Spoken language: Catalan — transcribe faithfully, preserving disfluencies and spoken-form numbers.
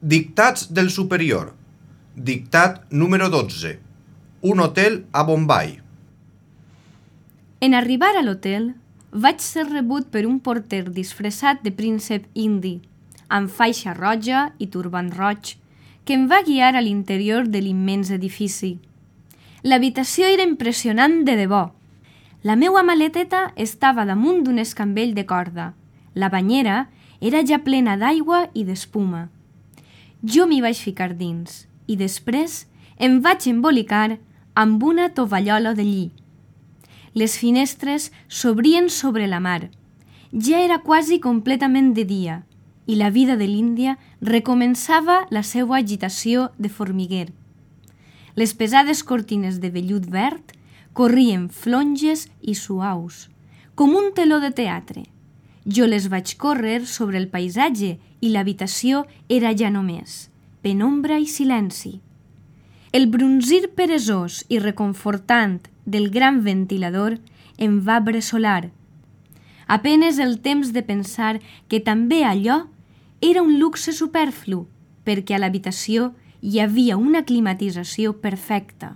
Dictats del superior. Dictat número dotze. Un hotel a Bombai. En arribar a l'hotel, vaig ser rebut per un porter disfressat de príncep indi, amb faixa roja i turbant roig, que em va guiar a l'interior de l'immens edifici. L'habitació era impressionant de debò. La meua maleteta estava damunt d'un escambell de corda. La banyera era ja plena d'aigua i d'espuma. Jo m'hi vaig ficar dins i després em vaig embolicar amb una tovallola de lli. Les finestres s'obrien sobre la mar. Ja era quasi completament de dia i la vida de l'Índia recomençava la seva agitació de formiguer. Les pesades cortines de vellut verd corrien flonges i suaus, com un teló de teatre. Jo les vaig córrer sobre el paisatge i l'habitació era ja només penombra i silenci. El brunzir peresós i reconfortant del gran ventilador em va bressolar. Apenes el temps de pensar que també allò era un luxe superflu, perquè a l'habitació hi havia una climatització perfecta.